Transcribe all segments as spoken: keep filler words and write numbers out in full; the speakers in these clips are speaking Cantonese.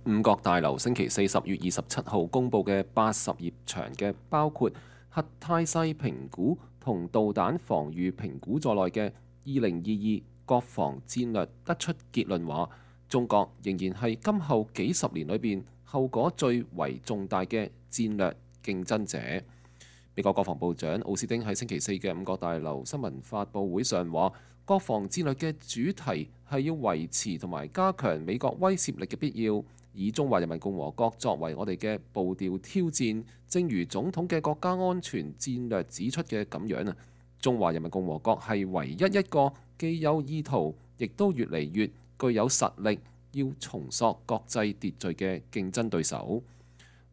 五角大樓星期四十月二十七號公佈嘅八十頁長嘅包括核態勢評估同導彈防禦評估在內嘅二零二二國防戰略得出結論話，中國仍然係今後幾十年裏邊後果最為重大嘅戰略競爭者。美國國防部長奧斯汀喺星期四嘅五角大樓新聞發佈會上話，國防戰略嘅主題係要維持同埋加強美國威懾力嘅必要，以中華人民共和國作為我哋嘅步調挑戰。正如總統嘅國家安全戰略指出嘅咁樣啊，中華人民共和國係唯一一個既有意圖，亦都越嚟越具有實力要重塑國際秩序嘅競爭對手。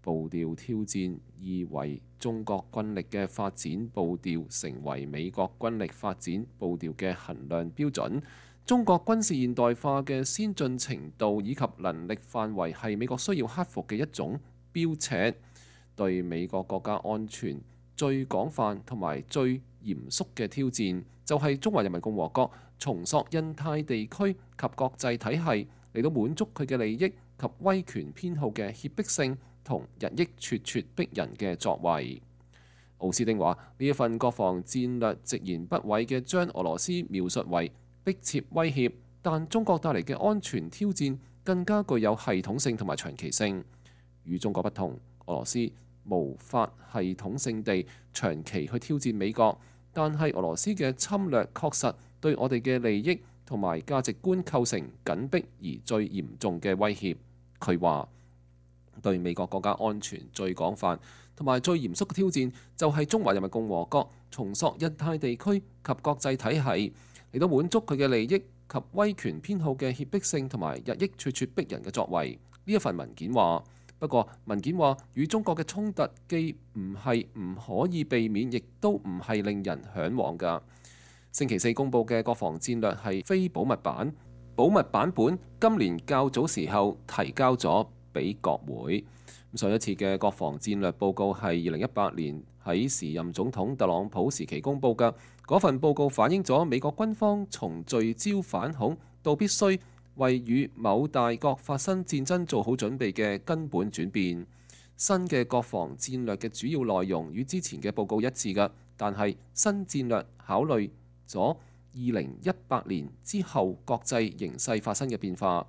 步調挑戰意為中國軍力嘅發展步調成為美國軍力發展步調嘅衡量標準。中國軍事現代化嘅先進程度以及能力範圍係美國需要克服嘅一種標尺。對美國國家安全最廣泛同埋最嚴肅嘅挑戰，就係中華人民共和國重塑印太地區及國際體系，嚟到滿足佢嘅利益及威權偏好嘅脅迫性同日益咄咄逼人嘅作為。奧斯汀話：呢一份國防戰略直言不諱嘅將俄羅斯描述為迫切威脅，但中國帶嚟嘅安全挑戰更加具有系統性同埋長期性。與中國不同，俄羅斯無法系統性地長期去挑戰美國，但係俄羅斯嘅侵略確實對我哋嘅利益同埋價值觀構成緊迫而最嚴重嘅威脅。佢話：對美國國家安全最廣泛同埋最嚴肅嘅挑戰，就係中華人民共和國重塑印太地區及國際體系，嚟到滿足佢嘅利益及威權偏好嘅脅迫性同埋日益咄咄逼人嘅作為。呢一份文件話，不過文件話與中國嘅衝突既唔係唔可以避免，亦都唔係令人嚮往㗎。星期四公佈嘅國防戰略係非保密版，保密版本今年較早時候提交咗俾國會。上一次嘅國防戰略報告係二零一八年喺時任總統特朗普時期公佈嘅。嗰份報告反映咗美國軍方從聚焦反恐到必須為與某大國發生戰爭做好準備嘅根本轉變。新嘅國防戰略嘅主要內容與之前嘅報告一致嘅，但係新戰略考慮咗二零一八年之後國際形勢發生嘅變化。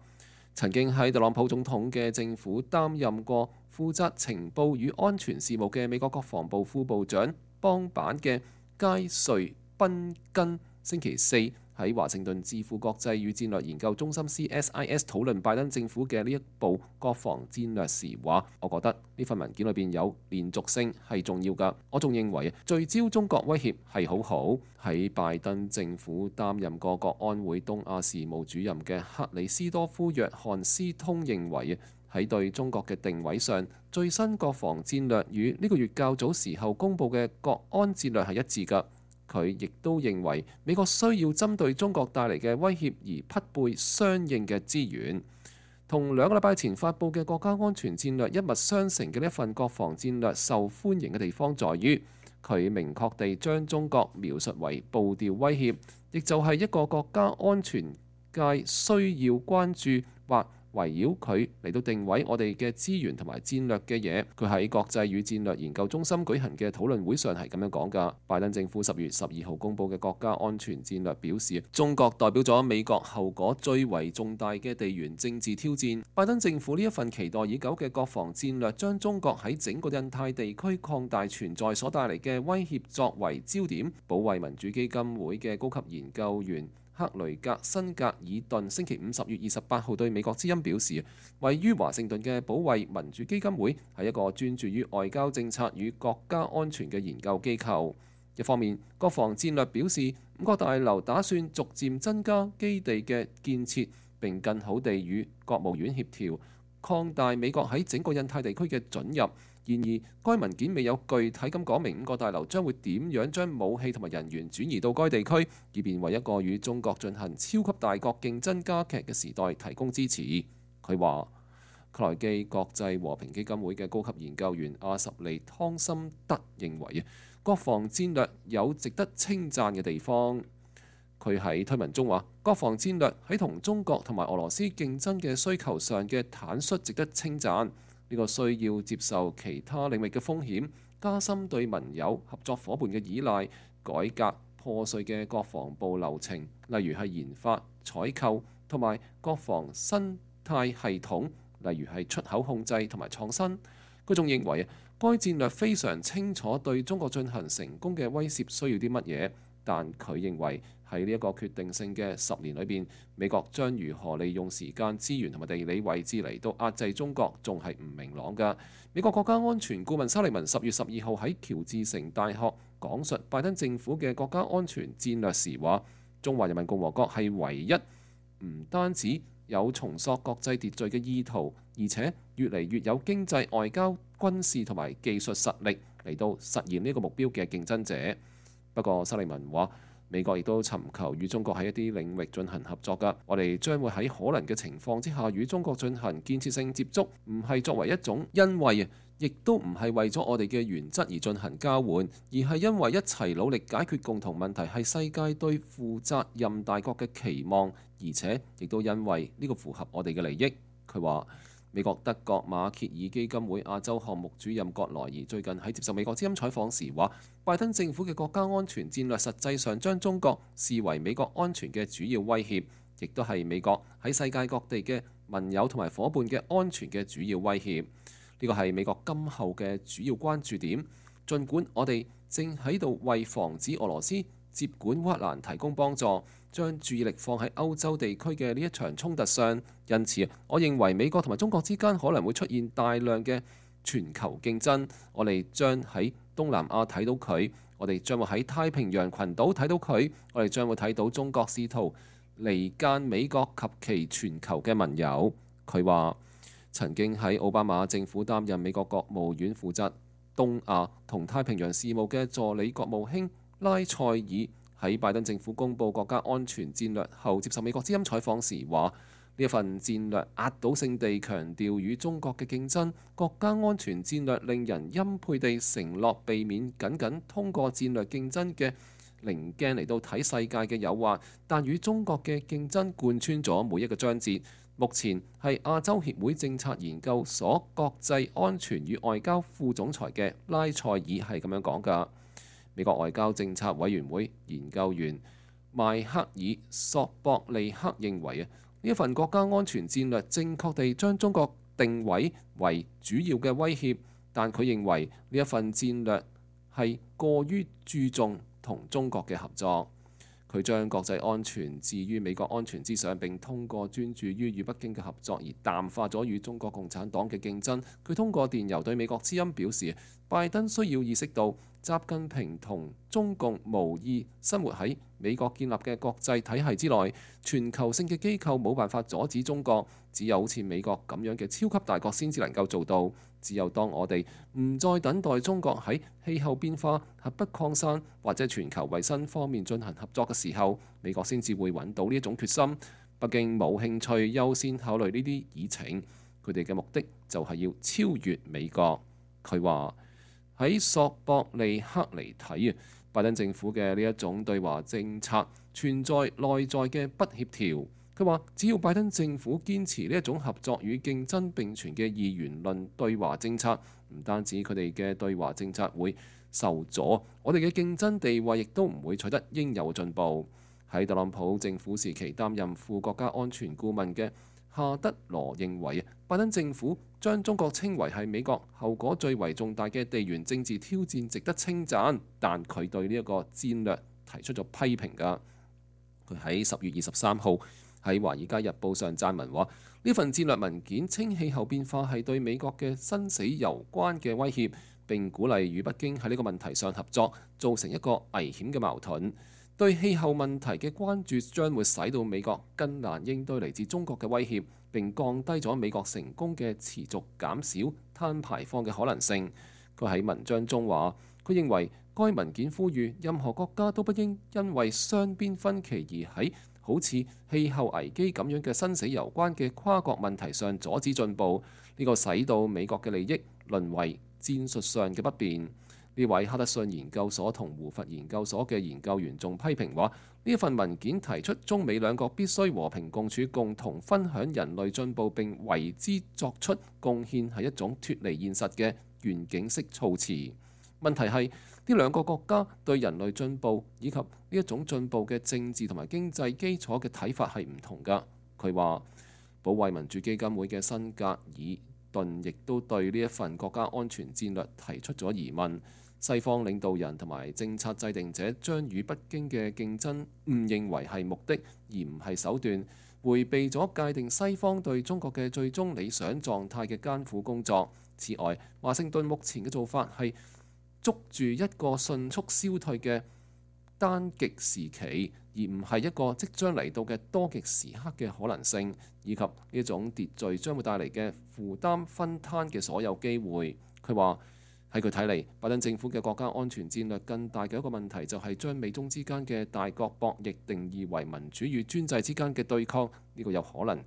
曾經喺特朗普總統嘅政府擔任過負責情報與安全事務嘅美國國防部副部長邦板嘅佳瑞賓根星期四喺華盛頓智庫國際與戰略研究中心 C S I S 討論拜登政府嘅呢一部國防戰略時話：我覺得呢份文件裏邊有連續性係重要㗎。我仲認為聚焦中國威脅係好好。喺拜登政府擔任過國安會東亞事務主任嘅克里斯多夫約翰斯通認為喺對中國嘅定位上，最新國防戰略與呢個月較早時候公佈嘅國安戰略係一致㗎。佢亦都認為美國需要針對中國帶嚟嘅威脅而匹配相應嘅資源。同兩個禮拜前發布嘅國家安全戰略一脈相承嘅呢一份國防戰略受歡迎嘅地方在於，佢明確地將中國描述為步調威脅，亦就係一個國家安全界需要關注或圍繞佢嚟到定位我哋嘅資源同埋戰略嘅嘢。佢喺國際與戰略研究中心舉行嘅討論會上係咁樣講㗎。拜登政府十月十二號公佈嘅國家安全戰略表示，中國代表咗美國後果最為重大嘅地緣政治挑戰。拜登政府呢一份期待已久嘅國防戰略，將中國喺整個印太地區擴大存在所帶嚟嘅威脅作為焦點。保衛民主基金會嘅高級研究員克雷格辛格爾頓星期五十月二十八號對美國之音表示，位於華盛頓嘅保衛民主基金會係一個專注於外交政策與國家安全嘅研究機構。一方面，國防戰略表示五角大樓打算逐漸增加基地嘅建設，並更好地與國務院協調，擴大美國喺整個印太地區嘅准入。然而，該文件未有具體咁講明五角大樓將會點樣將武器同埋人員轉移到該地區，以便為一個與中國進行超級大國競爭加劇嘅時代提供支持。佢話，克萊基國際和平基金會嘅高級研究員阿什利湯森德認為，國防戰略有值得稱讚嘅地方。佢喺推文中話，國防戰略喺同中國同埋俄羅斯競爭嘅需求上嘅坦率值得稱讚。呢個需要接受其他領域嘅風險，加深對盟友合作伙伴嘅依賴，改革破碎嘅國防部流程，例如係研發、採購同埋國防生態系統，例如係出口控制同埋創新。佢仲認為，該戰略非常清楚對中國進行成功嘅威懾需要啲乜嘢，但佢認為喺呢一個決定性嘅十年裏邊，美國將如何利用時間、資源同埋地理位置嚟到壓制中國，仲係唔明朗㗎。美國國家安全顧問沙利文十月十二號喺喬治城大學講述拜登政府嘅國家安全戰略時話，中華人民共和國係唯一唔單止有重塑國際秩序嘅意圖，而且越嚟越有經濟、外交、軍事同埋技術實力嚟到實現呢個目標嘅競爭者。不過沙利文話，美國亦都尋求與中國喺一啲領域進行合作㗎。我哋將會喺可能嘅情況之下與中國進行建設性接觸，唔係作為一種因為，亦都唔係為咗我哋嘅原則而進行交換，而係因為一齊努力解決共同問題係世界對負責任大國嘅期望，而且亦都因為呢個符合我哋嘅利益。佢話，美國德國馬歇爾基金會亞洲項目主任葛萊爾最近喺接受美國之音採訪時話，拜登政府嘅國家安全戰略實際上將中國視為美國安全嘅主要威脅，亦都係美國喺世界各地嘅盟友同埋伙伴嘅安全嘅主要威脅。呢個係美國今後嘅主要關注點。儘管我哋正喺度為防止俄羅斯接管烏克蘭提供幫助，將注意力放喺歐洲地區嘅呢一場衝突上，因此我認為美國同埋中國之間可能會出現大量嘅全球競爭。我哋將喺東南亞睇到佢，我哋將會喺太平洋群島睇到佢，我哋將會睇到中國試圖離間美國及其全球嘅盟友。佢話，曾經喺奧巴馬政府擔任美國國務院負責東亞同太平洋事務嘅助理國務卿拉塞爾喺拜登政府公布國家安全戰略後接受美國之音採訪時話，呢一份戰略壓倒性地強調與中國嘅競爭，國家安全戰略令人欽佩地承諾避免僅僅通過戰略競爭嘅棱鏡嚟到睇世界嘅誘惑，但與中國嘅競爭貫穿咗每一個章節。目前係亞洲協會政策研究所國際安全與外交副總裁嘅拉塞爾係咁樣講㗎。美國外交政策委員會研究員邁克爾索博利克認為啊，呢一份國家安全戰略正確地將中國定位為主要嘅威脅，但佢認為呢一份戰略係過於注重同中國嘅合作。佢將國際安全置於美國安全之上，並通過專注於與北京嘅合作而淡化咗與中國共產黨嘅競爭。佢通過電郵對美國之音表示，拜登需要意識到習近平同中共無意生活喺美國建立嘅國際體系之內，全球性嘅機構冇辦法阻止中國，只有好似美國咁樣嘅超級大國先至能夠做到。只有當我哋唔再等待中國喺氣候變化、核不擴散或者全球衛生方面進行合作嘅時候，美國先至會揾到呢一種決心。北京冇興趣優先考慮呢啲議程，佢哋嘅目的就係要超越美國。佢話喺索博利克嚟睇啊，拜登政府嘅呢一種對華政策存在內在嘅不協調。佢話只要拜登政府堅持呢一種合作與競爭並存嘅二元論對華政策，唔單止佢哋嘅對華政策會受阻，我哋嘅競爭地位亦都唔會取得應有嘅進步。喺特朗普政府時期擔任副國家安全顧問嘅夏德羅認為，拜登政府將中國稱為係美國後果最為重大嘅地緣政治挑戰，值得稱讚，但佢對呢一個戰略提出咗批評㗎。佢喺十月二十三號喺《華爾街日報》上撰文話，呢份戰略文件稱氣候變化係對美國嘅生死攸關嘅威脅，並鼓勵與北京喺呢個問題上合作，造成一個危險嘅矛盾。對氣候問題嘅關注將會使到美國更難應對嚟自中國嘅威脅，並降低咗美國成功嘅持續減少碳排放嘅可能性。佢喺文章中話，佢認為該文件呼籲任何國家都不應因為雙邊分歧而喺好似氣候危機咁樣嘅生死攸關嘅跨國問題上阻止進步，呢個使到美國嘅利益淪為戰術上嘅不便。呢位哈德遜研究所同胡佛研究所嘅研究員仲批評話，呢一份文件提出中美兩國必須和平共處，共同分享人類進步並為之作出貢獻，係一種脫離現實嘅願景式措辭。問題係呢兩個國家對人類進步以及呢一種進步嘅政治同埋經濟基礎嘅睇法係唔同㗎。佢話，保衛民主基金會嘅辛格爾頓亦都對呢一份國家安全戰略提出咗疑問。西方領導人同埋政策制定者將與北京嘅競爭誤認為係目的，而唔係手段，迴避咗界定西方對中國嘅最終理想狀態嘅艱苦工作。此外，華盛頓目前嘅做法係捉住一個迅速消退嘅單極時期，而唔係一個即將嚟到嘅多極時刻嘅可能性，以及呢一種秩序將會帶嚟嘅負擔分攤嘅所有機會。佢話，喺佢睇嚟，拜登政府嘅國家安全戰略更大嘅一個問題就係將美中之間嘅大國博弈定義為民主與專制之間嘅對抗，呢個有可能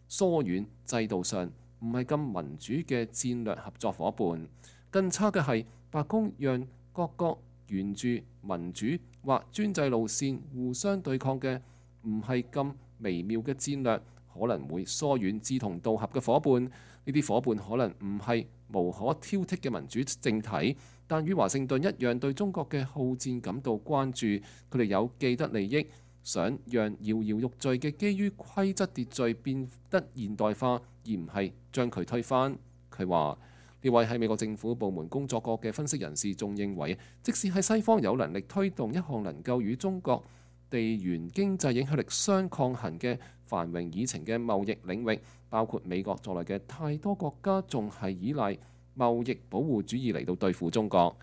疏遠制度上唔係咁民主嘅戰略合作伙伴。更差嘅係，白宮讓各國沿住民主或專制路線互相對抗嘅唔係咁微妙嘅戰略，可能會疏遠志同道合嘅伙伴。呢啲伙伴可能唔係無可挑剔嘅民主政體，但與華盛頓一樣對中國嘅好戰感到關注。佢哋有既得利益，想讓搖搖欲墜嘅基於規則秩序變得現代化，而唔係將佢推翻。佢話，呢位喺美國政府部門工作過嘅分析人士仲認為，即使喺西方有能力推動一項能夠與中國地緣經濟影響力相抗衡嘅繁榮議程嘅貿易領域，包括美國在內嘅太多國家仲係依賴貿易保護主義嚟到對付中國。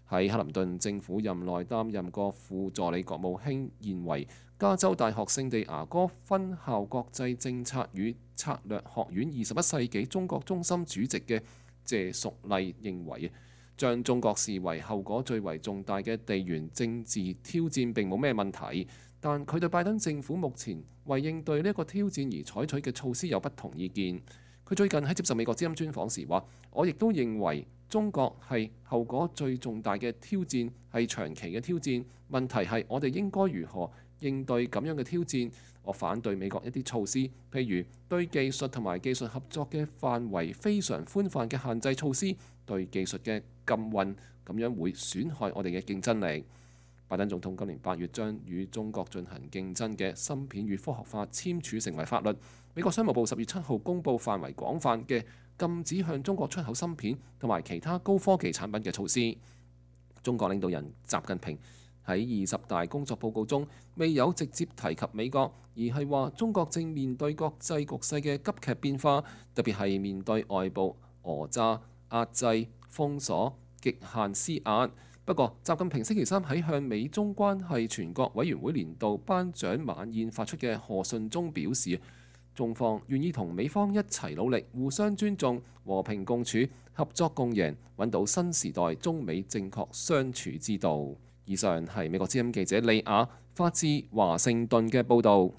喺克林頓政府任內擔任過副助理國務卿，現為加州大學聖地牙哥分校國際政策與策略學院二十一世紀中國中心主席嘅謝淑麗認為，將中國視為後果最為重大嘅地緣政治挑戰並冇咩問題，但佢對拜登政府目前為應對呢一個挑戰而採取嘅措施有不同意見。佢最近喺接受美國之音專訪時話，我亦都認為中國係後果最重大嘅挑戰，係長期嘅挑戰。問題係我哋應該如何應對咁樣嘅挑戰。我反對美國一啲措施，譬如對技術同埋技術合作嘅範圍非常寬泛嘅限制措施，對技術嘅禁運，咁樣會損害我哋嘅競爭力。拜登總統今年八月將與中國進行競爭嘅芯片與科學法簽署成為法律。美國商務部十月七號公佈範圍廣泛嘅禁止向中國出口芯片同埋其他高科技產品嘅措施。中國領導人習近平喺二十大工作報告中未有直接提及美國，而係話中國正面對國際局勢嘅急劇變化，特別係面對外部訛詐、壓制、封鎖、極限施壓。不過，習近平星期三喺向美中關係全國委員會年度頒獎晚宴發出嘅賀信中表示，中方願意同美方一齊努力，互相尊重、和平共處、合作共贏，揾到新時代中美正確相處之道。以上係美國之音記者李雅發自華盛頓嘅報導。